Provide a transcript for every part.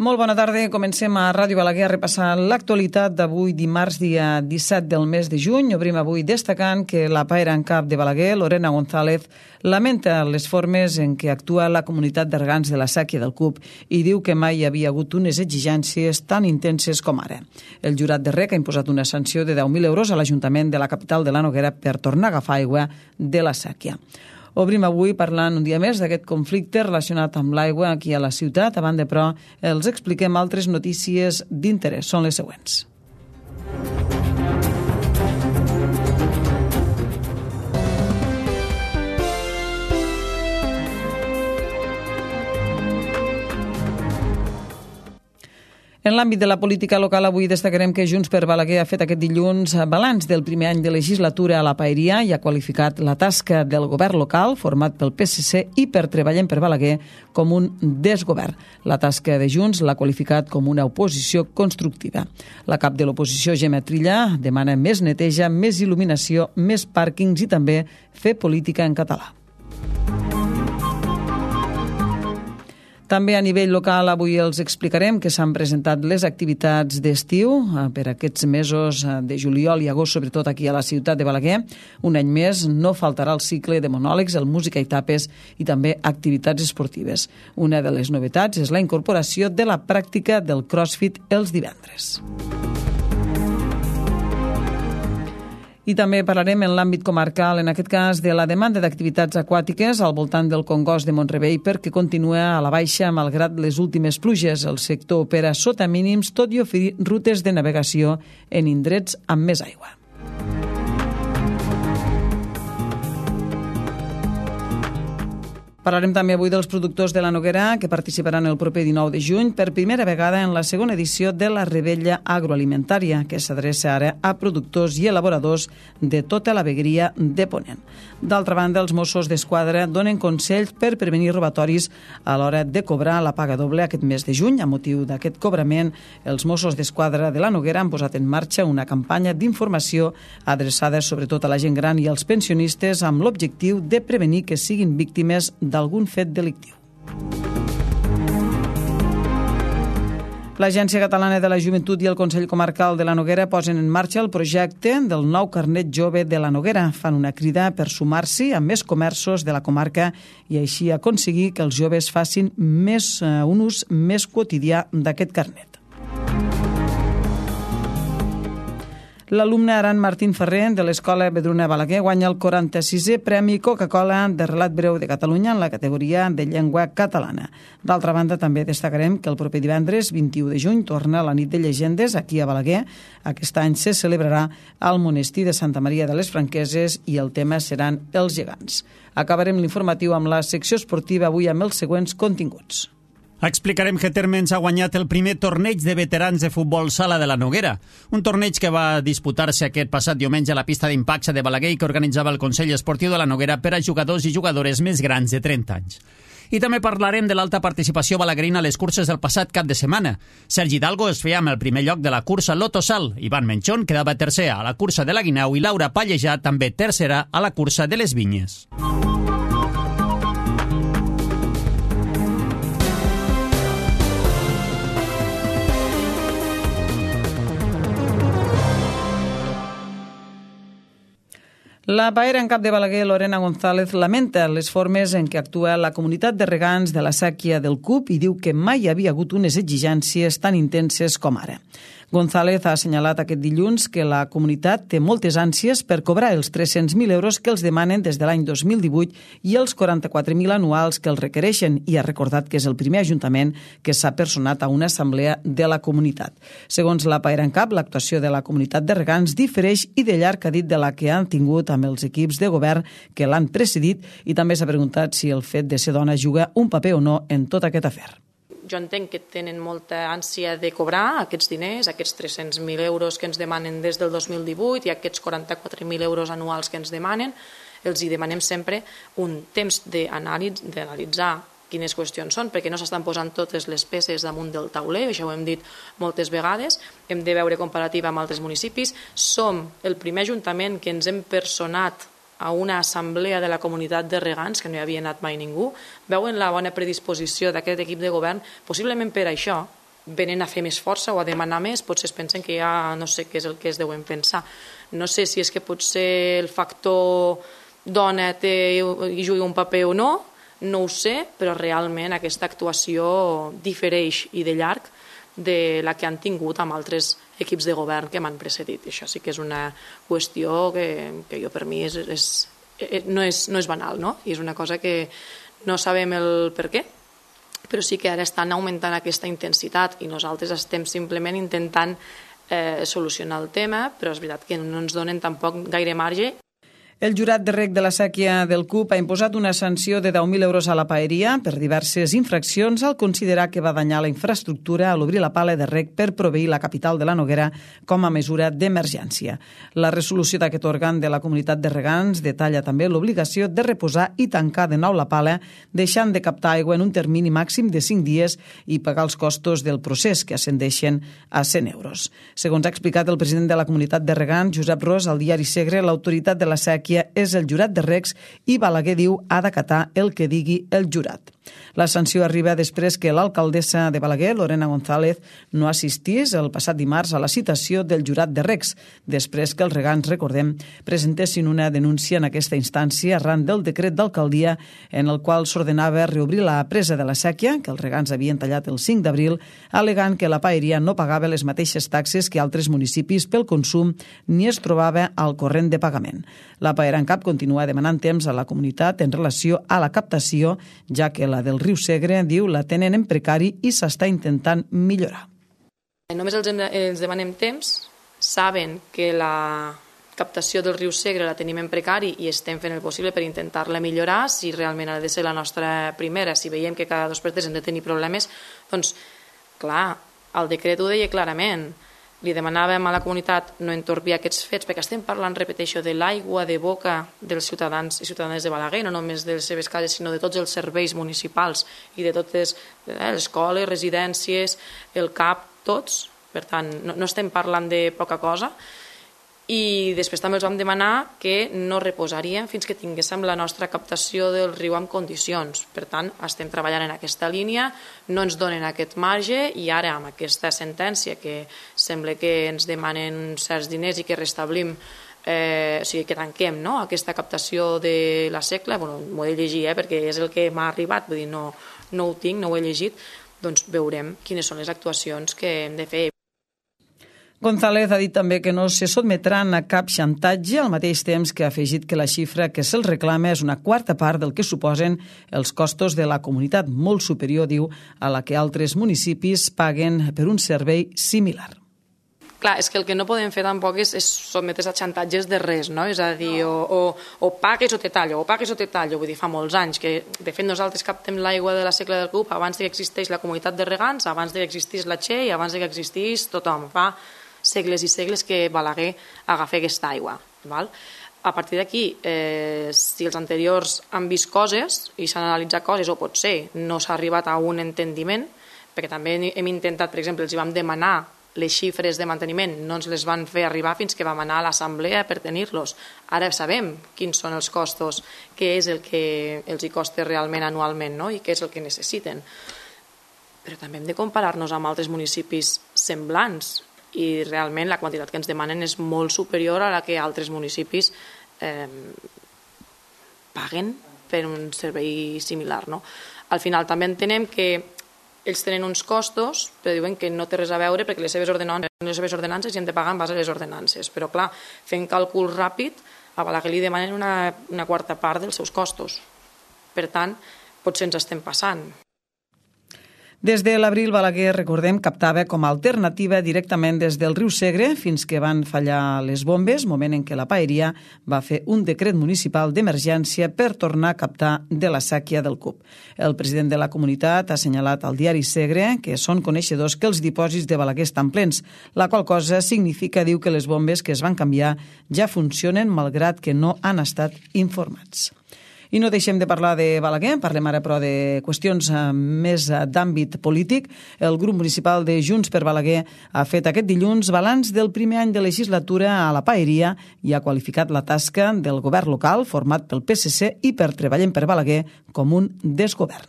Molt bona tarda. Comencem a Ràdio Balaguer a repassar l'actualitat d'avui, dimarts, dia 17 del mes de juny. Obrim avui destacant que la paera en cap de Balaguer, Lorena González, lamenta les formes en què actua la comunitat de regants de la sèquia del CUP i diu que mai hi havia hagut unes exigències tan intenses com ara. El jurat de REC ha imposat una sanció de 10.000 euros a l'Ajuntament de la capital de la Noguera per tornar a agafar aigua de la sèquia. Obrim avui parlant un dia més d'aquest conflicte relacionat amb l'aigua aquí a la ciutat. A banda, però, els expliquem altres notícies d'interès. Són les següents. En l'àmbit de la política local, avui destacarem que Junts per Balaguer ha fet aquest dilluns balanç del primer any de legislatura a la paeria i ha qualificat la tasca del govern local, format pel PSC i per Treballem per Balaguer, com un desgovern. La tasca de Junts l'ha qualificat com una oposició constructiva. La cap de l'oposició, Gemma Trilla, demana més neteja, més il·luminació, més pàrquings i també fer política en català. També a nivell local avui els explicarem que s'han presentat les activitats d'estiu per aquests mesos de juliol i agost, sobretot aquí a la ciutat de Balaguer. Un any més no faltarà el cicle de monòlegs, el música i tapes i també activitats esportives. Una de les novetats és la incorporació de la pràctica del CrossFit els divendres. I també parlarem en l'àmbit comarcal, en aquest cas, de la demanda d'activitats aquàtiques al voltant del Congost de Mont-rebei perquè continua a la baixa malgrat les últimes pluges. El sector opera sota mínims, tot i oferir rutes de navegació en indrets amb més aigua. Parlarem també avui dels productors de la Noguera que participaran el proper 19 de juny per primera vegada en la segona edició de la Rebella Agroalimentària, que s'adreça ara a productors i elaboradors de tota la vegueria de Ponent. D'altra banda, els Mossos d'Esquadra donen consells per prevenir robatoris a l'hora de cobrar la paga doble aquest mes de juny. A motiu d'aquest cobrament, els Mossos d'Esquadra de la Noguera han posat en marxa una campanya d'informació adreçada sobretot a la gent gran i als pensionistes amb l'objectiu de prevenir que siguin víctimes d'algun fet delictiu. L'Agència Catalana de la Joventut i el Consell Comarcal de la Noguera posen en marxa el projecte del nou carnet jove de la Noguera. Fan una crida per sumar-s'hi a més comerços de la comarca i així aconseguir que els joves facin un ús més quotidià d'aquest carnet. L'alumne Aran Martín Ferrer de l'Escola Vedruna Balaguer guanya el 46è Premi Coca-Cola de Relat Breu de Catalunya en la categoria de llengua catalana. D'altra banda, també destacarem que el proper divendres, 21 de juny, torna la nit de llegendes aquí a Balaguer. Aquest any se celebrarà al monestir de Santa Maria de les Franqueses i el tema seran els gegants. Acabarem l'informatiu amb la secció esportiva avui amb els següents continguts. Explicarem que Térmens ha guanyat el primer torneig de veterans de futbol sala de la Noguera, un torneig que va disputar-se aquest passat diumenge a la pista d'impacte de Balaguer i que organitzava el Consell Esportiu de la Noguera per a jugadors i jugadores més grans de 30 anys. I també parlarem de l'alta participació balaguerina a les curses del passat cap de setmana. Sergi Hidalgo es feia amb el primer lloc de la cursa Lotosal, Ivan Menchón quedava tercer a la cursa de la Guineu i Laura Pallejà també tercera a la cursa de les Vinyes. La paera en cap de Balaguer, Lorena González, lamenta les formes en què actua la comunitat de regants de la sèquia del CUP i diu que mai hi havia hagut unes exigències tan intenses com ara. González ha assenyalat aquest dilluns que la comunitat té moltes ànsies per cobrar els 300.000 euros que els demanen des de l'any 2018 i els 44.000 anuals que els requereixen i ha recordat que és el primer ajuntament que s'ha personat a una assemblea de la comunitat. Segons la paera en cap, l'actuació de la comunitat de regants difereix i de llarg ha dit de la que han tingut amb els equips de govern que l'han precedit i també s'ha preguntat si el fet de ser dona juga un paper o no en tot aquest afer. Jo entenc que tenen molta ànsia de cobrar aquests diners, aquests 300.000 euros que ens demanen des del 2018 i aquests 44.000 euros anuals que ens demanen. Els hi demanem sempre un temps d'analitzar quines qüestions són, perquè no s'estan posant totes les peces damunt del tauler, això ho hem dit moltes vegades, hem de veure comparativa amb altres municipis. Som el primer ajuntament que ens hem personat a una assemblea de la comunitat de regants, que no hi havia anat mai ningú, veuen la bona predisposició d'aquest equip de govern, possiblement per això, venen a fer més força o a demanar més, potser es pensen que ja no sé què és el que es deuen pensar. No sé si és que potser el factor dona hi jugui un paper o no, no ho sé, però realment aquesta actuació difereix i de llarg de la que han tingut amb altres equips de govern que m'han precedit. Això sí que és una qüestió que jo per mi no és banal, no? I és una cosa que no sabem el per què, però sí que ara estan augmentant aquesta intensitat i nosaltres estem simplement intentant solucionar el tema, però és veritat que no ens donen tampoc gaire marge. El jurat de reg de la sèquia del CUP ha imposat una sanció de 10.000 euros a la paeria per diverses infraccions al considerar que va danyar la infraestructura a l'obrir la pala de reg per proveir la capital de la Noguera com a mesura d'emergència. La resolució d'aquest òrgan de la comunitat de regants detalla també l'obligació de reposar i tancar de nou la pala, deixant de captar aigua en un termini màxim de 5 dies i pagar els costos del procés, que ascendeixen a 100 euros. Segons ha explicat el president de la comunitat de regants, Josep Ros, al diari Segre, l'autoritat de la sèquia és el jurat de regs i Balaguer diu ha d'acatar el que digui el jurat. La sanció arriba després que l'alcaldessa de Balaguer, Lorena González, no assistís el passat dimarts a la citació del jurat de regs, després que els regants, recordem, presentessin una denúncia en aquesta instància arran del decret d'alcaldia en el qual s'ordenava reobrir la presa de la sèquia, que els regants havien tallat el 5 d'abril, alegant que la paeria no pagava les mateixes taxes que altres municipis pel consum ni es trobava al corrent de pagament. La Paerancap continua demanant temps a la comunitat en relació a la captació, ja que la del riu Segre, diu, la tenen en precari i s'està intentant millorar. Només els demanem temps, saben que la captació del riu Segre la tenim en precari i estem fent el possible per intentar-la millorar. Si realment ha de ser la nostra primera, si veiem que cada 2 per 3 hem de tenir problemes, doncs, clar, el decret ho deia clarament. Li demanàvem a la comunitat no entorpir aquests fets, perquè estem parlant, repeteixo, de l'aigua de boca dels ciutadans i ciutadanes de Balaguer, no només de les seves cases, sinó de tots els serveis municipals i de totes les escoles, residències, el CAP, tots. Per tant, no estem parlant de poca cosa. I després també els vam demanar que no reposaríem fins que tinguéssim la nostra captació del riu en condicions. Per tant, estem treballant en aquesta línia, no ens donen aquest marge i ara amb aquesta sentència que sembla que ens demanen certs diners i que restablim, o sigui, que tanquem aquesta captació de la secla, m'ho he de llegir perquè és el que m'ha arribat, vull dir, no ho tinc, no ho he llegit, doncs veurem quines són les actuacions que hem de fer. González ha dit també que no se sotmetran a cap xantatge, al mateix temps que ha afegit que la xifra que se'ls reclama és una quarta part del que suposen els costos de la comunitat, molt superior, diu, a la que altres municipis paguen per un servei similar. Clar, és que el que no podem fer tampoc és sotmetre's a xantatges de res, no? És a dir, o pagues o te tallo, vull dir, fa molts anys que, de fet, nosaltres captem l'aigua de la secla del CUP abans que existeix la comunitat de regants, abans que existís la Che i abans que existís tothom. Fa segles i segles que Balaguer agafa aquesta aigua. A partir d'aquí, si els anteriors han vist coses i s'han analitzat coses, o potser no s'ha arribat a un entendiment, perquè també hem intentat, per exemple, els vam demanar les xifres de manteniment, no ens les van fer arribar fins que vam anar a l'assemblea per tenir-los. Ara sabem quins són els costos, què és el que els hi costa realment anualment, i què és el que necessiten. Però també hem de comparar-nos amb altres municipis semblants, i realment la quantitat que ens demanen és molt superior a la que altres municipis paguen per un servei similar. Al final també entenem que ells tenen uns costos, però diuen que no té res a veure perquè les seves ordenances i hem de pagar en base a les ordenances. Però clar, fent càlcul ràpid, a Balaguer li demanen una quarta part dels seus costos. Per tant, potser ens estem passant. Des de l'abril, Balaguer, recordem, captava com a alternativa directament des del riu Segre fins que van fallar les bombes, moment en què la paeria va fer un decret municipal d'emergència per tornar a captar de la sèquia del CUP. El president de la comunitat ha assenyalat al diari Segre que són coneixedors que els dipòsits de Balaguer estan plens, la qual cosa significa, diu, que les bombes que es van canviar ja funcionen malgrat que no han estat informats. I no deixem de parlar de Balaguer, parlem ara però de qüestions més d'àmbit polític. El grup municipal de Junts per Balaguer ha fet aquest dilluns balanç del primer any de legislatura a la paeria i ha qualificat la tasca del govern local format pel PSC i per Treballem per Balaguer com un desgovern.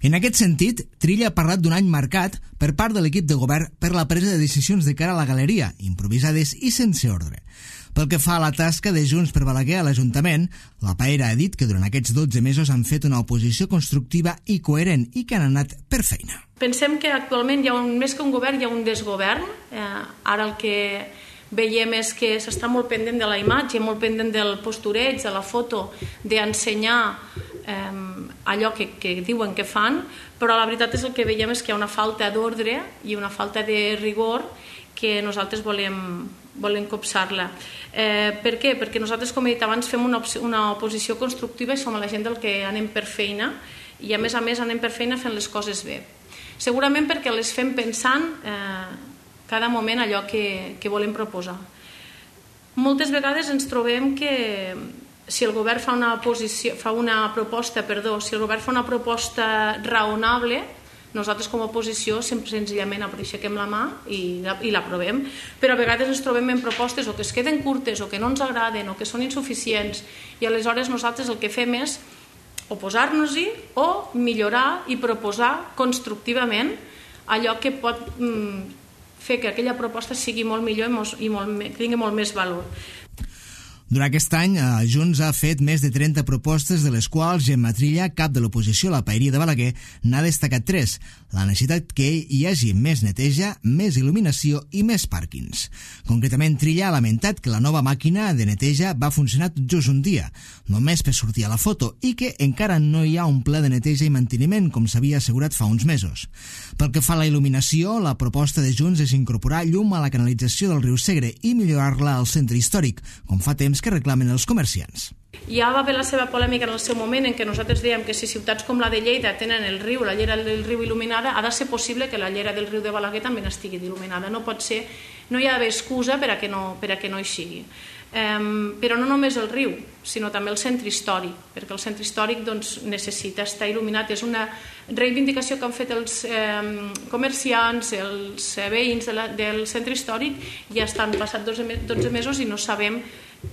En aquest sentit, Trilla ha parlat d'un any marcat per part de l'equip de govern per la presa de decisions de cara a la galeria, improvisades i sense ordre. Pel que fa a la tasca de Junts per Balaguer a l'Ajuntament, la Paera ha dit que durant aquests 12 mesos han fet una oposició constructiva i coherent i que han anat per feina. Pensem que actualment més que un govern hi ha un desgovern. Ara el que veiem és que s'està molt pendent de la imatge, molt pendent del postureig, de la foto, d'ensenyar allò que diuen que fan, però la veritat és el que veiem és que hi ha una falta d'ordre i una falta de rigor que nosaltres volem copsar-la. Per què? Perquè nosaltres, com he dit abans, fem una oposició constructiva i som la gent del que anem per feina i a més anem per feina fent les coses bé. Segurament perquè les fem pensant cada moment allò que volem proposar. Moltes vegades ens trobem que si el govern fa una proposta raonable, nosaltres com a oposició sempre senzillament aixequem la mà i l'aprovem, però a vegades ens trobem en propostes o que es queden curtes o que no ens agraden o que són insuficients i aleshores nosaltres el que fem és oposar-nos-hi o millorar i proposar constructivament allò que pot fer que aquella proposta sigui molt millor i tingui molt més valor. Durant aquest any, Junts ha fet més de 30 propostes, de les quals Gemma Trilla, cap de l'oposició a la Paeria de Balaguer, n'ha destacat 3. La necessitat que hi hagi més neteja, més il·luminació i més pàrquings. Concretament, Trilla ha lamentat que la nova màquina de neteja va funcionar just un dia, només per sortir a la foto, i que encara no hi ha un pla de neteja i manteniment, com s'havia assegurat fa uns mesos. Pel que fa a la il·luminació, la proposta de Junts és incorporar llum a la canalització del riu Segre i millorar-la al centre històric, com fa temps que reclamen els comerciants. Ja va haver la seva polèmica en el seu moment en què nosaltres dèiem que si ciutats com la de Lleida tenen el riu, la llera del riu il·luminada, ha de ser possible que la llera del riu de Balaguer també estigui il·luminada. No pot ser, no hi ha d'haver excusa per a que no hi sigui. Però no només el riu, sinó també el centre històric, perquè el centre històric necessita estar il·luminat. És una reivindicació que han fet els comerciants, els veïns del centre històric, ja estan passats 12 mesos i no sabem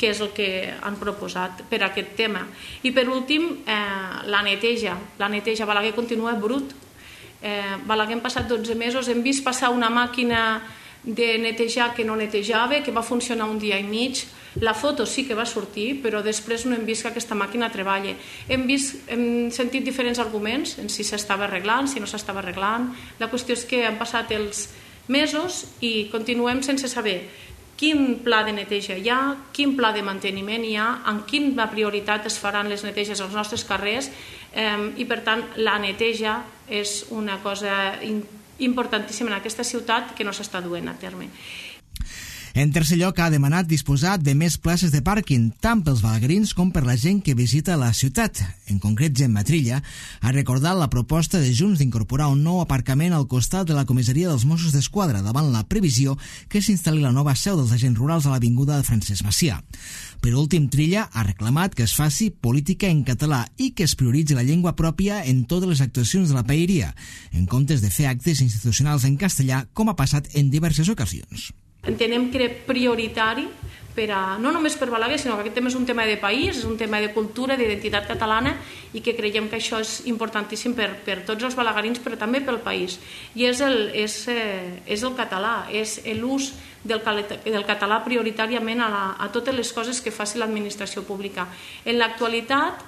què és el que han proposat per a aquest tema. I per últim, la neteja. La neteja. Balaguer continua brut. Balaguer hem passat 12 mesos, hem vist passar una màquina de netejar que no netejava, que va funcionar un dia i mig. La foto sí que va sortir, però després no hem vist que aquesta màquina treballa. Hem sentit diferents arguments en si s'estava arreglant, si no s'estava arreglant. La qüestió és que han passat els mesos i continuem sense saber quin pla de neteja hi ha, quin pla de manteniment hi ha, en quina prioritat es faran les neteges als nostres carrers i per tant la neteja és una cosa importantíssima en aquesta ciutat que no s'està duent a terme. En tercer lloc, ha demanat disposar de més places de pàrquing, tant pels balaguerins com per la gent que visita la ciutat. En concret, Gemma Trilla ha recordat la proposta de Junts d'incorporar un nou aparcament al costat de la comissaria dels Mossos d'Esquadra, davant la previsió que s'instal·li la nova seu dels agents rurals a l'avinguda de Francesc Macià. Per últim, Trilla ha reclamat que es faci política en català i que es prioritzi la llengua pròpia en totes les actuacions de la paeria, en comptes de fer actes institucionals en castellà, com ha passat en diverses ocasions. Entenem que era prioritari no només per Balaguer, sinó que aquest tema és un tema de país, és un tema de cultura, d'identitat catalana i que creiem que això és importantíssim per tots els balaguerins, però també pel país. I és el català, és l'ús del català prioritàriament a totes les coses que faci l'administració pública. En l'actualitat,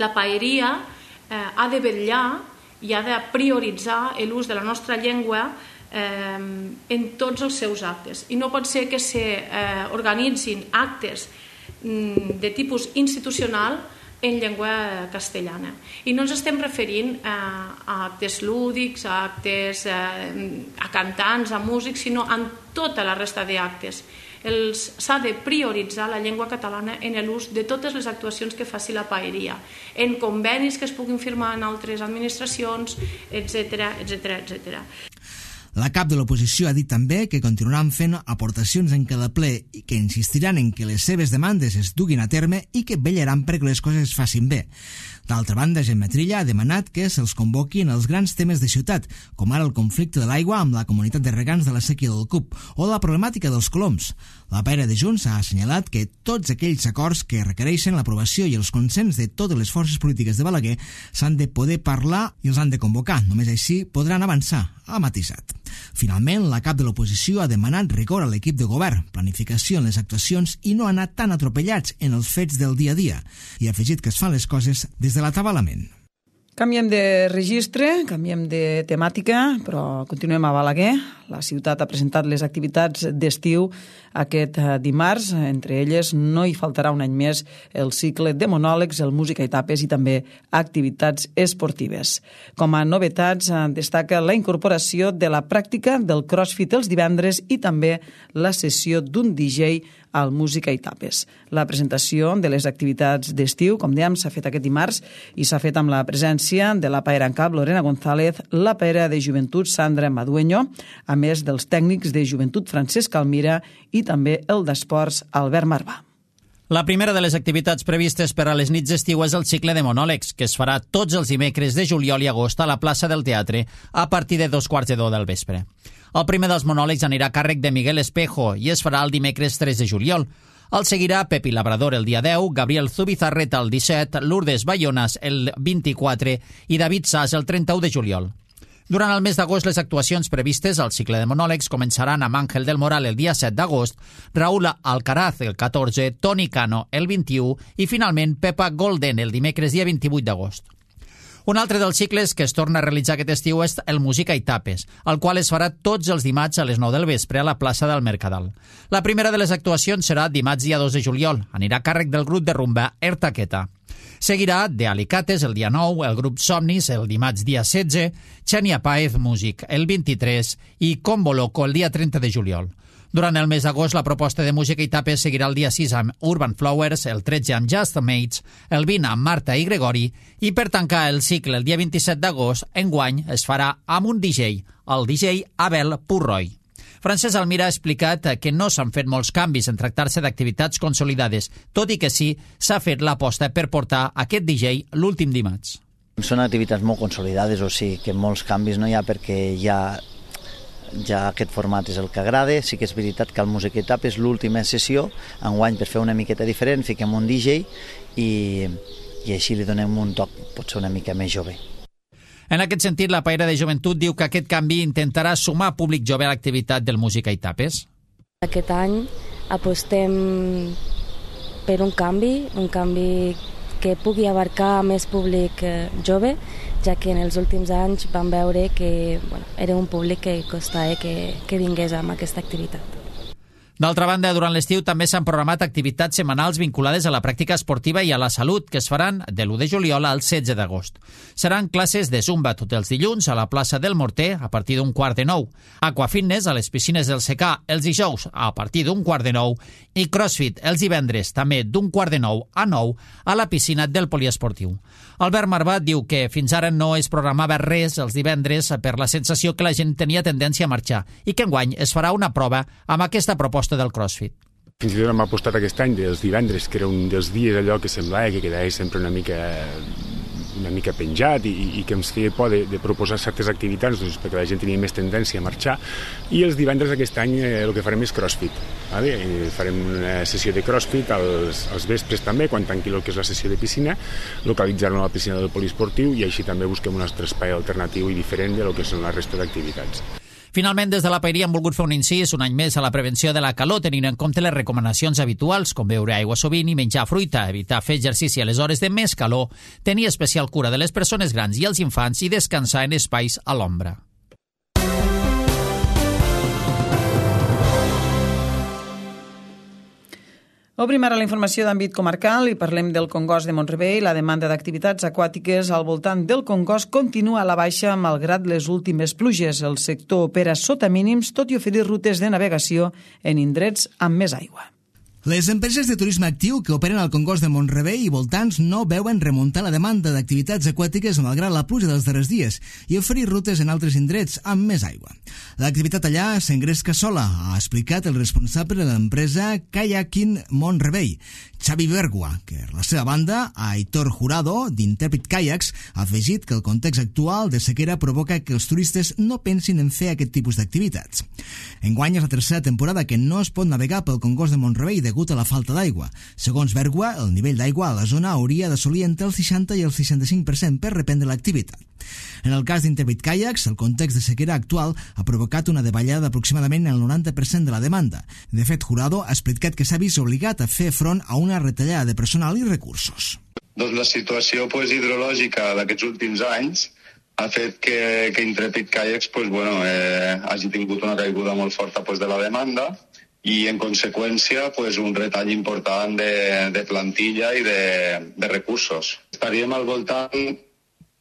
la paeria ha de vetllar i ha de prioritzar l'ús de la nostra llengua en tots els seus actes i no pot ser que s'organitzin actes de tipus institucional en llengua castellana i no ens estem referint a actes lúdics, a actes a cantants, a músics, sinó en tota la resta d'actes. S'ha de prioritzar la llengua catalana en l'ús de totes les actuacions que faci la paeria, en convenis que es puguin firmar en altres administracions, etc. La cap de l'oposició ha dit també que continuaran fent aportacions en cada ple i que insistiran en que les seves demandes es duguin a terme i que vetllaran perquè les coses es facin bé. D'altra banda, Gemma Trilla ha demanat que se'ls convoquin els grans temes de ciutat, com ara el conflicte de l'aigua amb la comunitat de regants de la sèquia del CUP o la problemàtica dels coloms. La paira de Junts ha assenyalat que tots aquells acords que requereixen l'aprovació i els consens de totes les forces polítiques de Balaguer s'han de poder parlar i els han de convocar. Només així podran avançar, ha matisat. Finalment, la cap de l'oposició ha demanat rigor a l'equip de govern, planificació en les actuacions i no anar tan atropellats en els fets del dia a dia. I ha afegit que es fan les coses des de l'atabalament. Canviem de registre, canviem de temàtica, però continuem a Balaguer. La ciutat ha presentat les activitats d'estiu aquest dimarts. Entre elles no hi faltarà un any més el cicle de monòlegs, el música i tapes i també activitats esportives. Com a novetats destaca la incorporació de la pràctica del crossfit els divendres i també la sessió d'un DJ al música i tapes. La presentació de les activitats d'estiu, com dèiem, s'ha fet aquest dimarts i s'ha fet amb la presència de la paera en cap Lorena González, la paera de joventut Sandra Madueño, a més dels tècnics de joventut Francesc Almira i també el d'esports Albert Marvà. La primera de les activitats previstes per a les nits d'estiu és el cicle de monòlegs, que es farà tots els dimecres de juliol i agost a la plaça del Teatre a partir de 2:15 del vespre. El primer dels monòlegs anirà a càrrec de Miguel Espejo i es farà el dimecres 3 de juliol. El seguirà Pepi Labrador el dia 10, Gabriel Zubizarreta el 17, Lourdes Bayonas el 24 i David Sas el 31 de juliol. Durant el mes d'agost, les actuacions previstes al cicle de monòlegs començaran amb Àngel del Moral el dia 7 d'agost, Raúl Alcaraz el 14, Toni Cano el 21 i finalment Pepa Golden el dimecres dia 28 d'agost. Un altre dels cicles que es torna a realitzar aquest estiu és el Música i Tapes, el qual es farà tots els dimarts a les 9 del vespre a la plaça del Mercadal. La primera de les actuacions serà dimarts dia 2 de juliol. Anirà a càrrec del grup de rumba Ertaqueta. Seguirà de Alicates el dia 9, el grup Somnis el dimarts dia 16, Xenia Paez Music el 23 i Combo Loco el dia 30 de juliol. Durant el mes d'agost, la proposta de música i tapes seguirà el dia 6 amb Urban Flowers, el 13 amb Just the Mates, el 20 amb Marta i Gregori, i per tancar el cicle el dia 27 d'agost, enguany es farà amb un DJ, el DJ Abel Purroy. Francesc Almira ha explicat que no s'han fet molts canvis en tractar-se d'activitats consolidades, tot i que sí s'ha fet l'aposta per portar aquest DJ l'últim dimarts. Són activitats molt consolidades, o sigui que molts canvis no hi ha perquè ja aquest format és el que agrada. Sí que és veritat que el Música i Tapes és l'última sessió, enguany per fer una miqueta diferent fiquem un DJ i així li donem un toc potser una mica més jove. En aquest sentit, la paira de joventut diu que aquest canvi intentarà sumar públic jove a l'activitat del Música i Tapes. Aquest any apostem per un canvi que pugui abarcar més públic jove, ja que en els últims anys vam veure que era un públic que costava que vingués amb aquesta activitat. D'altra banda, durant l'estiu també s'han programat activitats setmanals vinculades a la pràctica esportiva i a la salut, que es faran de l'1 de juliol al 16 d'agost. Seran classes de zumba tots els dilluns a la plaça del Morter a partir d'un 8:45, aquafitness a les piscines del Secà els dijous a partir d'un 8:45 i crossfit els divendres també d'un 8:45 a 9 a la piscina del poliesportiu. Albert Marvà diu que fins ara no es programava res els divendres per la sensació que la gent tenia tendència a marxar i que enguany es farà una prova amb aquesta proposta del CrossFit. Fins i tot hem apostat aquest any dels divendres, que era un dels dies allò que semblava que quedava sempre una mica penjat i que ens feia por de proposar certes activitats perquè la gent tenia més tendència a marxar, i els divendres aquest any el que farem és CrossFit. Farem una sessió de CrossFit als vespres també, quan tanqui el que és la sessió de piscina, localitzar-lo a la piscina del poliesportiu, i així també busquem un altre espai alternatiu i diferent de lo que són la resta d'activitats. Finalment, des de la paeria han volgut fer un incís un any més a la prevenció de la calor, tenint en compte les recomanacions habituals, com beure aigua sovint i menjar fruita, evitar fer exercici a les hores de més calor, tenir especial cura de les persones grans i els infants i descansar en espais a l'ombra. Obrim ara la informació d'àmbit comarcal i parlem del Congost de Mont-rebei. La demanda d'activitats aquàtiques al voltant del Congost continua a la baixa malgrat les últimes pluges. El sector opera sota mínims, tot i oferir rutes de navegació en indrets amb més aigua. Les empreses de turisme actiu que operen al Congost de Mont-rebei i voltants no veuen remuntar la demanda d'activitats aquàtiques malgrat la pluja dels darrers dies i oferir rutes en altres indrets amb més aigua. L'activitat allà s'engresca sola, ha explicat el responsable de l'empresa Kayaking Mont-rebei, Xavi Bergua, que per la seva banda, Aitor Jurado, d'Intrepid Kayaks, ha afegit que el context actual de sequera provoca que els turistes no pensin en fer aquest tipus d'activitats. Enguany és la tercera temporada que no es pot navegar pel Congost de Mont-rebei degut a la falta d'aigua. Segons Bergua, el nivell d'aigua a la zona hauria d'assolir entre el 60 i el 65% per reprendre l'activitat. En el cas d'Intrepid Kayaks, el context de sequera actual ha provocat una davallada d'aproximadament el 90% de la demanda. De fet, Jurado ha explicat que s'ha vist obligat a fer front a una retallada de personal i recursos. Doncs la situació hidrològica d'aquests últims anys ha fet que Intrepid Kayaks hagi tingut una caiguda molt forta de la demanda i, en conseqüència, un retall important de plantilla i de recursos. Estaríem al voltant,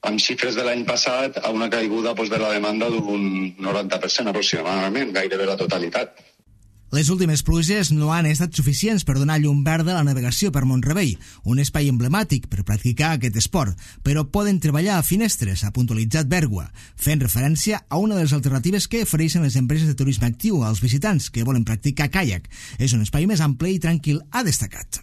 amb xifres de l'any passat, a una caiguda de la demanda d'un 90% aproximadament, gairebé la totalitat. Les últimes pluges no han estat suficients per donar llum verda a la navegació per Mont-rebei, un espai emblemàtic per practicar aquest esport, però poden treballar a finestres, ha puntualitzat Bergua, fent referència a una de les alternatives que ofereixen les empreses de turisme actiu als visitants que volen practicar caiac. És un espai més ample i tranquil, ha destacat.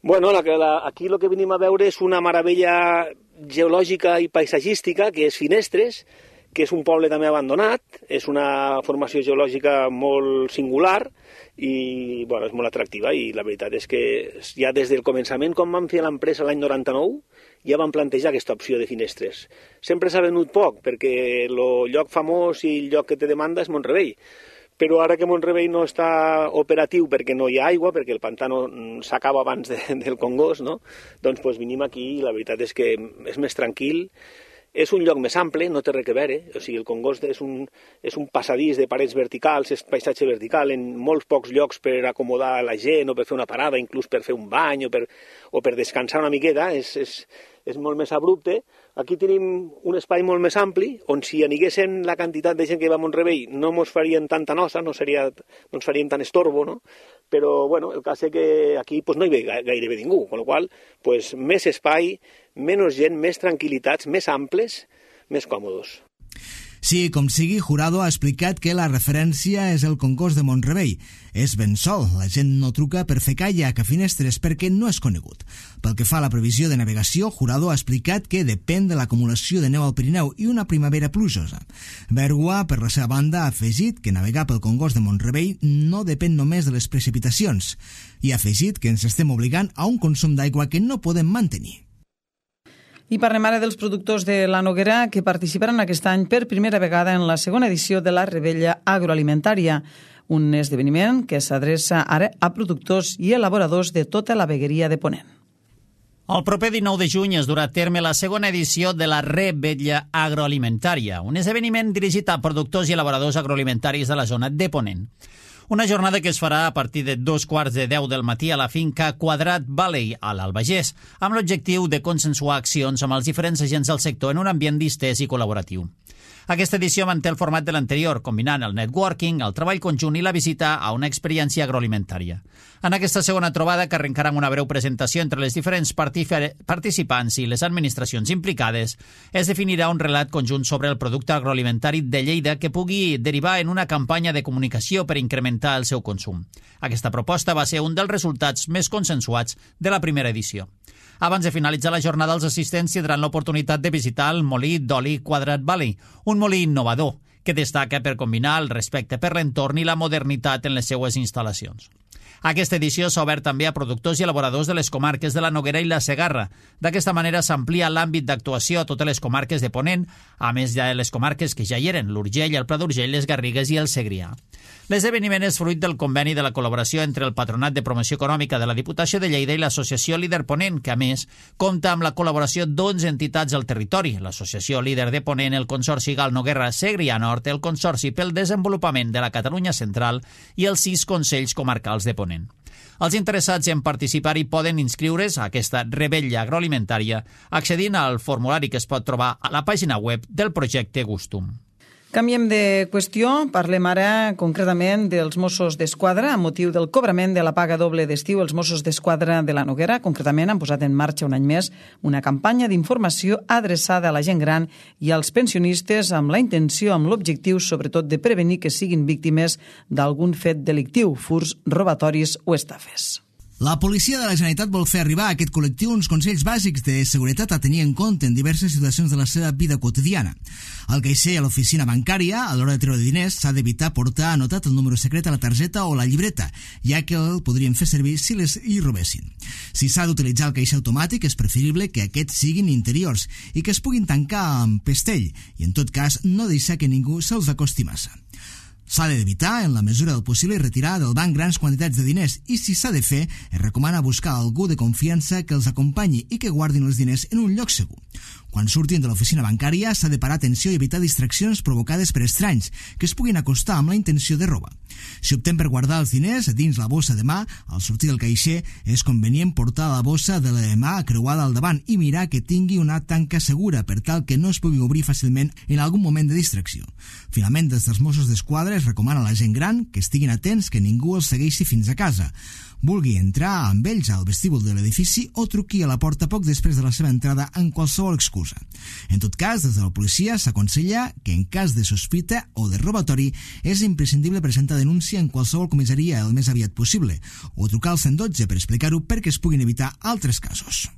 Bueno, aquí el que venim a veure és una meravella geològica i paisatgística, que és Finestres, que és un poble també abandonat, és una formació geològica molt singular i és molt atractiva, i la veritat és que ja des del començament, quan vam fer l'empresa l'any 99, ja vam plantejar aquesta opció de Finestres. Sempre s'ha venut poc, perquè el lloc famós i el lloc que té demanda és Mont-rebei, però ara que Mont-rebei no està operatiu perquè no hi ha aigua, perquè el pantano s'acaba abans del Congost, no? Doncs venim aquí i la veritat és que és més tranquil. És un lloc més ample, no té res a veure, o sigui, el Congost és un passadís de parets verticals, és paisatge vertical, en molts pocs llocs per acomodar la gent o per fer una parada, inclús per fer un bany o per descansar una miqueta, és molt més abrupte. Aquí tenim un espai molt més ampli, on si aniguessin la quantitat de gent que va a Mont-rebei no ens farien tanta nosa, no ens faríem tant estorbo, no? Però el cas és que aquí no hi ve gairebé ningú, amb la qual cosa més espai, menys gent, més tranquil·litats, més amples, més còmodes. Sí, com sigui, Jurado ha explicat que la referència és el Congost de Mont-rebei. És ben sol, la gent no truca per fer caiac a Finestres perquè no és conegut. Pel que fa a la previsió de navegació, Jurado ha explicat que depèn de l'acumulació de neu al Pirineu i una primavera plujosa. Bergua, per la seva banda, ha afegit que navegar pel Congost de Mont-rebei no depèn només de les precipitacions i ha afegit que ens estem obligant a un consum d'aigua que no podem mantenir. I parlem ara dels productors de la Noguera que participaran aquest any per primera vegada en la segona edició de la Rebella Agroalimentària, un esdeveniment que s'adreça ara a productors i elaboradors de tota la vegueria de Ponent. El proper 19 de juny es durà a terme la segona edició de la Rebella Agroalimentària, un esdeveniment dirigit a productors i elaboradors agroalimentaris de la zona de Ponent. Una jornada que es farà a partir de 9:45 del matí a la finca Quadrat Valley, a l'Albagés, amb l'objectiu de consensuar accions amb els diferents agents del sector en un ambient distès i col·laboratiu. Aquesta edició manté el format de l'anterior, combinant el networking, el treball conjunt i la visita a una experiència agroalimentària. En aquesta segona trobada, que arrencarà amb una breu presentació entre les diferents participants i les administracions implicades, es definirà un relat conjunt sobre el producte agroalimentari de Lleida que pugui derivar en una campanya de comunicació per incrementar el seu consum. Aquesta proposta va ser un dels resultats més consensuats de la primera edició. Abans de finalitzar la jornada, els assistents tindran l'oportunitat de visitar el molí d'oli Quadrat Valley, un molí innovador que destaca per combinar el respecte per l'entorn i la modernitat en les seues instal·lacions. Aquesta edició s'ha obert també a productors i elaboradors de les comarques de la Noguera i la Segarra. D'aquesta manera s'amplia l'àmbit d'actuació a totes les comarques de Ponent, a més de les comarques que ja hi eren, l'Urgell, el Pla d'Urgell, les Garrigues i el Segrià. L'esdeveniment és fruit del conveni de la col·laboració entre el Patronat de Promoció Econòmica de la Diputació de Lleida i l'Associació Líder Ponent, que a més compta amb la col·laboració d'11 entitats al territori, l'Associació Líder de Ponent, el Consorci Gal Noguera Segrià Nord, el Consorci pel Desenvolupament de la Catalunya Central i els 6 Consells Comarcals de Ponent. Els interessats en participar-hi poden inscriure's a aquesta Rebella Agroalimentària accedint al formulari que es pot trobar a la pàgina web del projecte Gustum. Canviem de qüestió, parlem ara concretament dels Mossos d'Esquadra. A motiu del cobrament de la paga doble d'estiu, els Mossos d'Esquadra de la Noguera, concretament, han posat en marxa un any més una campanya d'informació adreçada a la gent gran i als pensionistes amb la intenció, amb l'objectiu, sobretot, de prevenir que siguin víctimes d'algun fet delictiu, furts, robatoris o estafes. La policia de la Generalitat vol fer arribar a aquest col·lectiu uns consells bàsics de seguretat a tenir en compte en diverses situacions de la seva vida quotidiana. Al caixer a l'oficina bancària, a l'hora de treure diners, s'ha d'evitar portar anotat el número secret a la targeta o la llibreta, ja que el podrien fer servir si les hi robessin. Si s'ha d'utilitzar el caixer automàtic, és preferible que aquests siguin interiors i que es puguin tancar amb pestell i, en tot cas, no deixar que ningú se'ls acosti massa. S'ha d'evitar, en la mesura del possible, retirar del banc grans quantitats de diners i, si s'ha de fer, es recomana buscar algú de confiança que els acompanyi i que guardin els diners en un lloc segur. Quan surtin de l'oficina bancària s'ha de parar atenció i evitar distraccions provocades per estranys que es puguin acostar amb la intenció de robar. Si optem per guardar els diners dins la bossa de mà, al sortir del caixer és convenient portar la bossa de la mà creuada al davant i mirar que tingui una tanca segura per tal que no es pugui obrir fàcilment en algun moment de distracció. Finalment, des dels Mossos d'Esquadra es recomana a la gent gran que estiguin atents que ningú els segueixi fins a casa. Vulgui entrar amb ells al vestíbul de l'edifici o truqui a la porta poc després de la seva entrada en qualsevol excusa. En tot cas, des de la policia s'aconsella que en cas de sospita o de robatori és imprescindible presentar denúncia en qualsevol comissaria el més aviat possible o trucar al 112 per explicar-ho perquè es puguin evitar altres casos.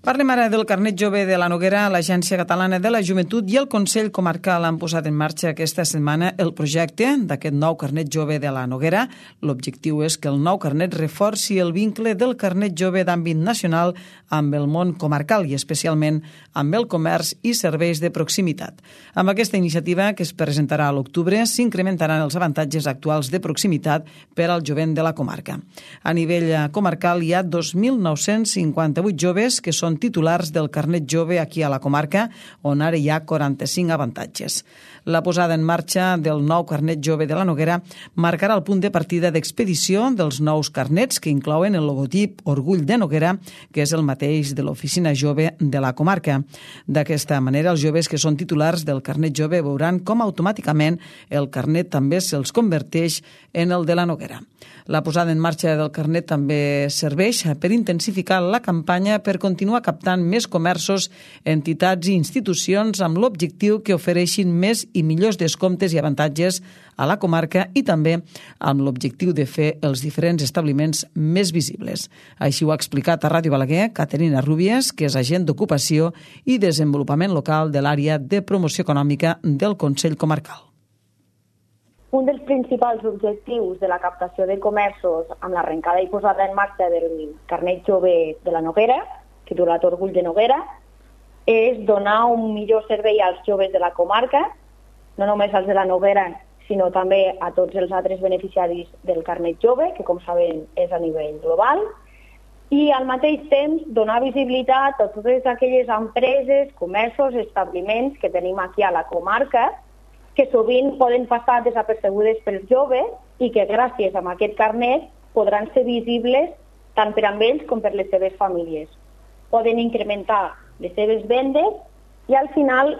Parlem ara del carnet jove de la Noguera. L'Agència Catalana de la Joventut i el Consell Comarcal han posat en marxa aquesta setmana el projecte d'aquest nou carnet jove de la Noguera. L'objectiu és que el nou carnet reforci el vincle del carnet jove d'àmbit nacional amb el món comarcal i especialment amb el comerç i serveis de proximitat. Amb aquesta iniciativa, que es presentarà a l'octubre, s'incrementaran els avantatges actuals de proximitat per al jovent de la comarca. A nivell comarcal hi ha 2.958 joves que són titulars del carnet jove aquí a la comarca, on ara hi ha 45 avantatges. La posada en marxa del nou carnet jove de la Noguera marcarà el punt de partida d'expedició dels nous carnets que inclouen el logotip Orgull de Noguera, que és el mateix de l'oficina jove de la comarca. D'aquesta manera, els joves que són titulars del carnet jove veuran com automàticament el carnet també se'ls converteix en el de la Noguera. La posada en marxa del carnet també serveix per intensificar la campanya per continuar captant més comerços, entitats i institucions amb l'objectiu que ofereixin més i millors descomptes i avantatges a la comarca i també amb l'objectiu de fer els diferents establiments més visibles. Així ho ha explicat a Ràdio Balaguer Caterina Rúbies, que és agent d'ocupació i desenvolupament local de l'àrea de promoció econòmica del Consell Comarcal. Un dels principals objectius de la captació de comerços amb l'arrencada i posada en marxa del carnet jove de la Noguera, titulat Orgull de Noguera, és donar un millor servei als joves de la comarca, no només als de la Noguera, sinó també a tots els altres beneficiaris del carnet jove, que com sabem és a nivell global, i al mateix temps donar visibilitat a totes aquelles empreses, comerços, establiments que tenim aquí a la comarca, que sovint poden passar desapercebudes pels joves i que gràcies a aquest carnet podran ser visibles tant per a ells com per les seves famílies. Poden incrementar les seves vendes i al final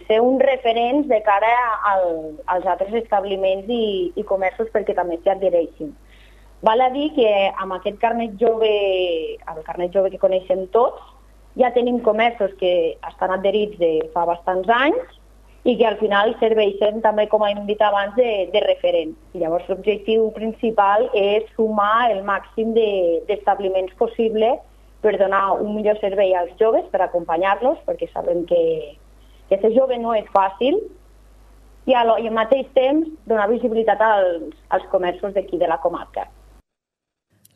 ser uns referents de cara als altres establiments i comerços perquè també s'hi adhereixin. Val a dir que amb aquest carnet jove, el carnet jove que coneixem tots, ja tenim comerços que estan adherits de fa bastants anys i que al final serveixen també, com hem dit abans, de referent. I llavors l'objectiu principal és sumar el màxim d'establiments possible per donar un millor servei als joves, per acompanyar-los, perquè sabem que ser jove no és fàcil, i al mateix temps donar visibilitat als comerços d'aquí de la comarca.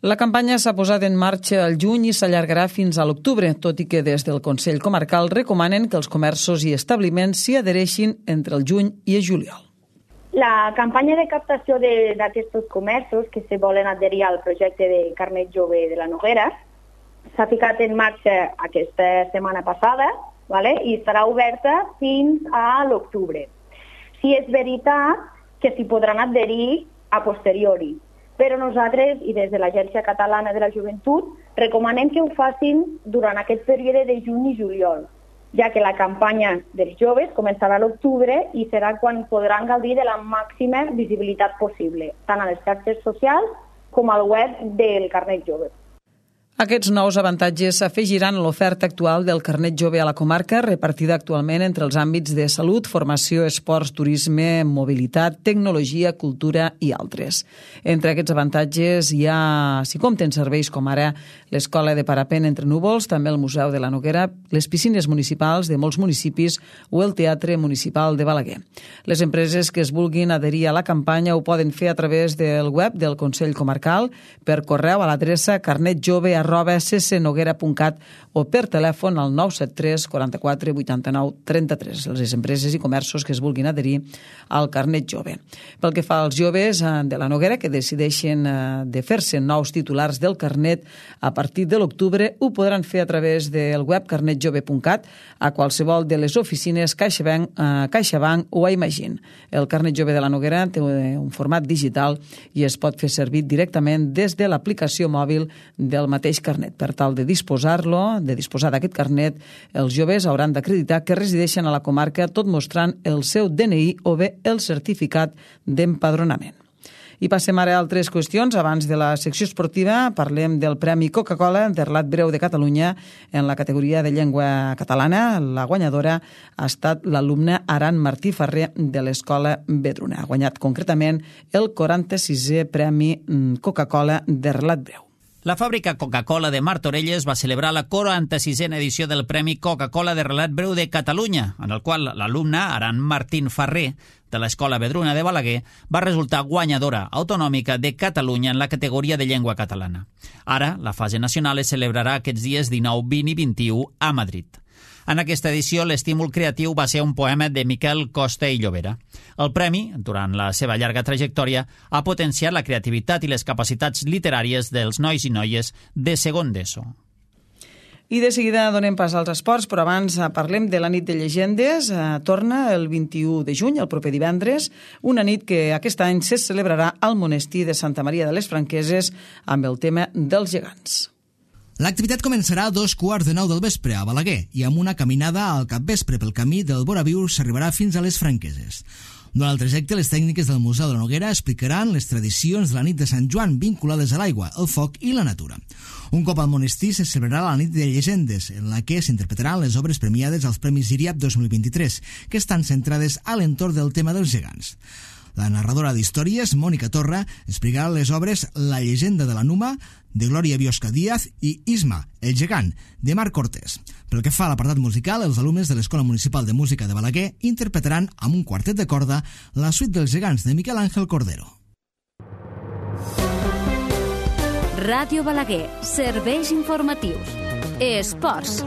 La campanya s'ha posat en marxa al juny i s'allargarà fins a l'octubre, tot i que des del Consell Comarcal recomanen que els comerços i establiments s'hi adhereixin entre el juny i el juliol. La campanya de captació d'aquests comerços que se volen adherir al projecte de carnet jove de la Noguera s'ha ficat en marxa aquesta setmana passada, i estarà oberta fins a l'octubre. Sí, és veritat que s'hi podran adherir a posteriori. però nosaltres, i des de l'Agència Catalana de la Joventut, recomanem que ho facin durant aquest període de juny i juliol, ja que la campanya dels joves començarà a l'octubre i serà quan podran gaudir de la màxima visibilitat possible, tant a les xarxes socials com al web del Carnet Jove. Aquests nous avantatges s'afegiran a l'oferta actual del Carnet Jove a la comarca, repartida actualment entre els àmbits de salut, formació, esports, turisme, mobilitat, tecnologia, cultura i altres. Entre aquests avantatges hi ha, si compten serveis com ara l'Escola de Parapent entre Núvols, també el Museu de la Noguera, les piscines municipals de molts municipis o el Teatre Municipal de Balaguer. Les empreses que es vulguin adherir a la campanya ho poden fer a través del web del Consell Comarcal, per correu a l'adreça carnetjove@ccnoguera.cat o per telèfon al 973 44 89 33, les empreses i comerços que es vulguin adherir al Carnet Jove. Pel que fa als joves de la Noguera que decideixen de fer-se nous titulars del carnet a partir de l'octubre, ho podran fer a través del web carnetjove.cat a qualsevol de les oficines CaixaBank o a Imagine. El Carnet Jove de la Noguera té un format digital i es pot fer servir directament des de l'aplicació mòbil del mateix carnet. Per tal de disposar d'aquest carnet, els joves hauran d'acreditar que resideixen a la comarca tot mostrant el seu DNI o bé el certificat d'empadronament. I passem ara a altres qüestions. Abans de la secció esportiva parlem del Premi Coca-Cola de Relat Breu de Catalunya en la categoria de llengua catalana. La guanyadora ha estat l'alumna Aran Martí Ferrer de l'Escola Vedruna. Ha guanyat concretament el 46è Premi Coca-Cola de Relat Breu. La fàbrica Coca-Cola de Martorelles va celebrar la 46a edició del Premi Coca-Cola de Relat Breu de Catalunya, en el qual l'alumna Aran Martín Ferrer, de l'Escola Vedruna de Balaguer, va resultar guanyadora autonòmica de Catalunya en la categoria de llengua catalana. Ara, la fase nacional es celebrarà aquests dies 19, 20 i 21 a Madrid. En aquesta edició, l'estímul creatiu va ser un poema de Miquel Costa i Llobera. El premi, durant la seva llarga trajectòria, ha potenciat la creativitat i les capacitats literàries dels nois i noies de segon d'ESO. I de seguida donem pas als esports, però abans parlem de la nit de llegendes. Torna el 21 de juny, el proper divendres, una nit que aquest any se celebrarà al monestir de Santa Maria de les Franqueses amb el tema dels gegants. L'activitat començarà a 8:45 del vespre a Balaguer i amb una caminada al capvespre pel camí del Boraviu s'arribarà fins a les Franqueses. Durant el trajecte, les tècniques del Museu de la Noguera explicaran les tradicions de la nit de Sant Joan vinculades a l'aigua, el foc i la natura. Un cop al monestir se celebrarà la nit de llegendes, en la que s'interpretaran les obres premiades als Premis IRIAP 2023, que estan centrades a l'entorn del tema dels gegants. La narradora d'històries, Mònica Torra, explicarà les obres La llegenda de la Numa, de Glòria Biosca Díaz, i Isma, el gegant, de Marc Cortés. Pel que fa a l'apartat musical, els alumnes de l'Escola Municipal de Música de Balaguer interpretaran amb un quartet de corda la suite dels gegants de Miquel Àngel Cordero. Ràdio Balaguer, serveis informatius. Esports.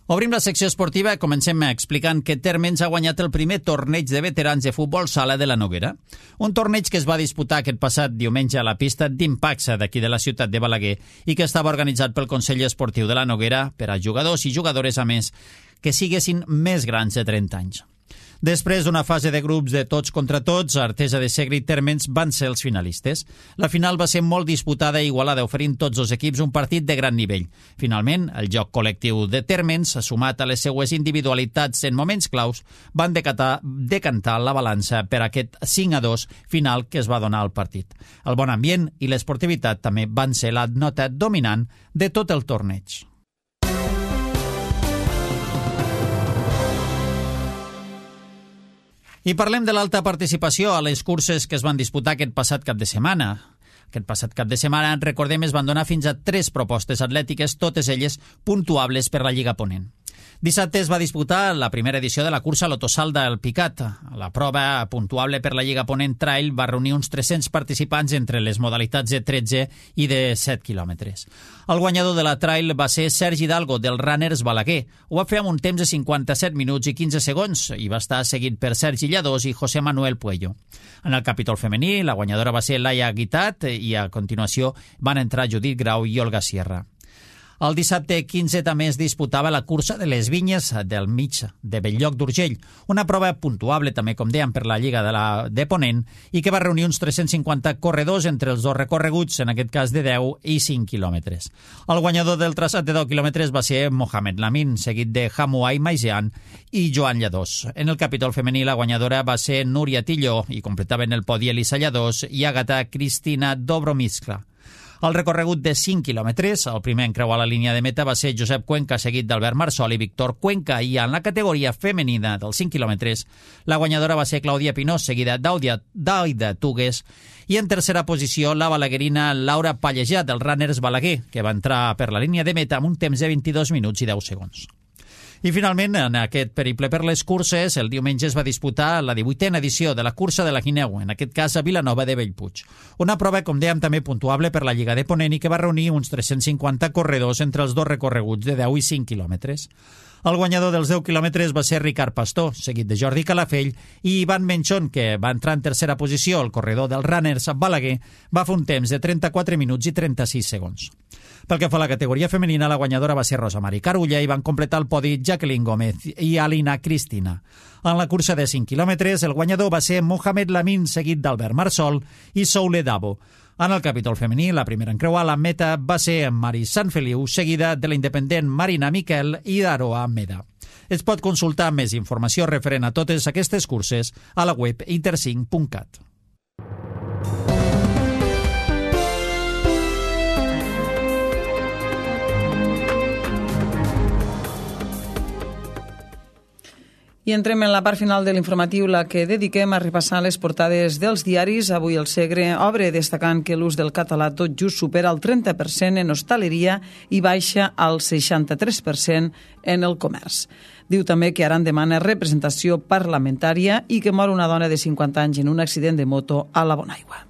Obrim la secció esportiva i comencem explicant que Térmens ha guanyat el primer torneig de veterans de futbol sala de la Noguera. Un torneig que es va disputar aquest passat diumenge a la pista d'Impaxa d'aquí de la ciutat de Balaguer i que estava organitzat pel Consell Esportiu de la Noguera per a jugadors i jugadores, a més, que siguessin més grans de 30 anys. Després d'una fase de grups de tots contra tots, Artesa de Segre i Térmens van ser els finalistes. La final va ser molt disputada i igualada, oferint tots els equips un partit de gran nivell. Finalment, el joc col·lectiu de Térmens, sumat a les seues individualitats en moments claus, van decantar la balança per aquest 5-2 final que es va donar al partit. El bon ambient i l'esportivitat també van ser la nota dominant de tot el torneig. I parlem de l'alta participació a les curses que es van disputar aquest passat cap de setmana. Aquest passat cap de setmana, recordem, es van donar fins a 3 propostes atlètiques, totes elles puntuables per la Lliga Ponent. Dissabte es va disputar la primera edició de la cursa Lotosal del Picat. La prova puntuable per la Lliga Ponent Trail va reunir uns 300 participants entre les modalitats de 13 i de 7 quilòmetres. El guanyador de la Trail va ser Sergi Hidalgo, del Runners Balaguer. Ho va fer amb un temps de 57 minuts i 15 segons i va estar seguit per Sergi Lladós i José Manuel Puello. En el capítol femení, la guanyadora va ser Laia Guitat i a continuació van entrar Judit Grau i Olga Sierra. El dissabte 15 també es disputava la cursa de les vinyes del mig de Bell-lloc d'Urgell, una prova puntuable també, com dèiem, per la Lliga de Ponent i que va reunir uns 350 corredors entre els dos recorreguts, en aquest cas de 10 i 5 quilòmetres. El guanyador del traçat de 10 quilòmetres va ser Mohamed Lamin, seguit de Hamouai Maijean i Joan Lladós. En el capítol femení la guanyadora va ser Núria Tilló i completaven el podi Elisa Lladós i Agata Cristina Dobromiskla. El recorregut de 5 quilòmetres, el primer en creuar la línia de meta va ser Josep Cuenca, seguit d'Albert Marsol i Víctor Cuenca, i en la categoria femenina dels 5 quilòmetres, la guanyadora va ser Clàudia Pinós, seguida d'Aida Tugues, i en tercera posició la balaguerina Laura Pallejà, del Runners Balaguer, que va entrar per la línia de meta amb un temps de 22 minuts i 10 segons. I finalment, en aquest periple per les curses, el diumenge es va disputar la 18a edició de la cursa de la Guineu, en aquest cas a Vilanova de Bellpuig. Una prova, com dèiem, també puntuable per la Lliga de Ponent i que va reunir uns 350 corredors entre els dos recorreguts de 10 i 5 quilòmetres. El guanyador dels 10 quilòmetres va ser Ricard Pastor, seguit de Jordi Calafell, i Ivan Menchón, que va entrar en tercera posició. El corredor dels Runners Balaguer va fer un temps de 34 minuts i 36 segons. Pel que fa a la categoria femenina, la guanyadora va ser Rosa Mari Carulla i van completar el podi Jacqueline Gómez i Alina Cristina. En la cursa de 5 quilòmetres, el guanyador va ser Mohamed Lamin, seguit d'Albert Marsol i Soule Dabo. En el capítol femení, la primera en creuar la meta va ser Mari Sanfeliu, seguida de la independent Marina Miquel i d'Aroa Meda. Es pot consultar més informació referent a totes aquestes curses a la web intercinc.cat. I entrem en la part final de l'informatiu, la que dediquem a repassar les portades dels diaris. Avui el Segre obre destacant que l'ús del català tot just supera el 30% en hostaleria i baixa al 63% en el comerç. Diu també que Aran demana representació parlamentària i que mor una dona de 50 anys en un accident de moto a la Bonaigua.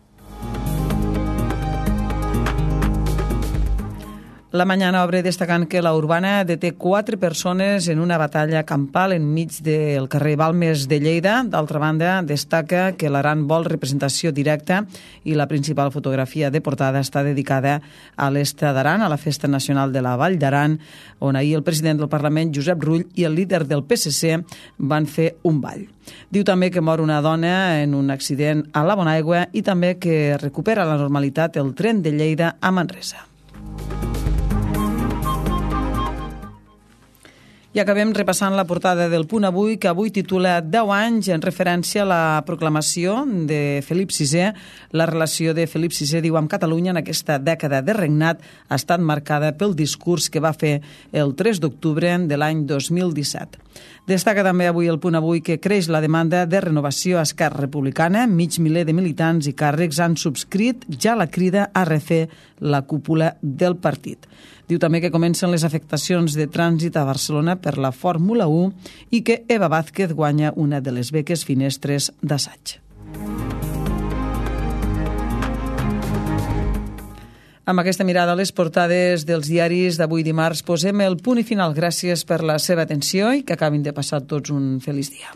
La Mañana obre destacant que la Urbana deté 4 persones en una batalla campal enmig del carrer Balmes de Lleida. D'altra banda, destaca que l'Aran vol representació directa i la principal fotografia de portada està dedicada a l'est d'Aran, a la Festa Nacional de la Vall d'Aran, on ahir el president del Parlament, Josep Rull, i el líder del PSC van fer un ball. Diu també que mor una dona en un accident a la Bonaigua i també que recupera la normalitat el tren de Lleida a Manresa. I acabem repassant la portada del Punt Avui, que avui titula 10 anys en referència a la proclamació de Felip VI. La relació de Felip VI, diu, amb Catalunya en aquesta dècada de regnat ha estat marcada pel discurs que va fer el 3 d'octubre de l'any 2017. Destaca també avui el Punt Avui que creix la demanda de renovació a Esquerra Republicana. Mig miler de militants i càrrecs han subscrit ja la crida a refer la cúpula del partit. Diu també que comencen les afectacions de trànsit a Barcelona per la Fórmula 1 i que Eva Vázquez guanya una de les beques finestres d'assaig. Amb aquesta mirada a les portades dels diaris d'avui dimarts posem el punt i final. Gràcies per la seva atenció i que acabin de passar tots un feliç dia.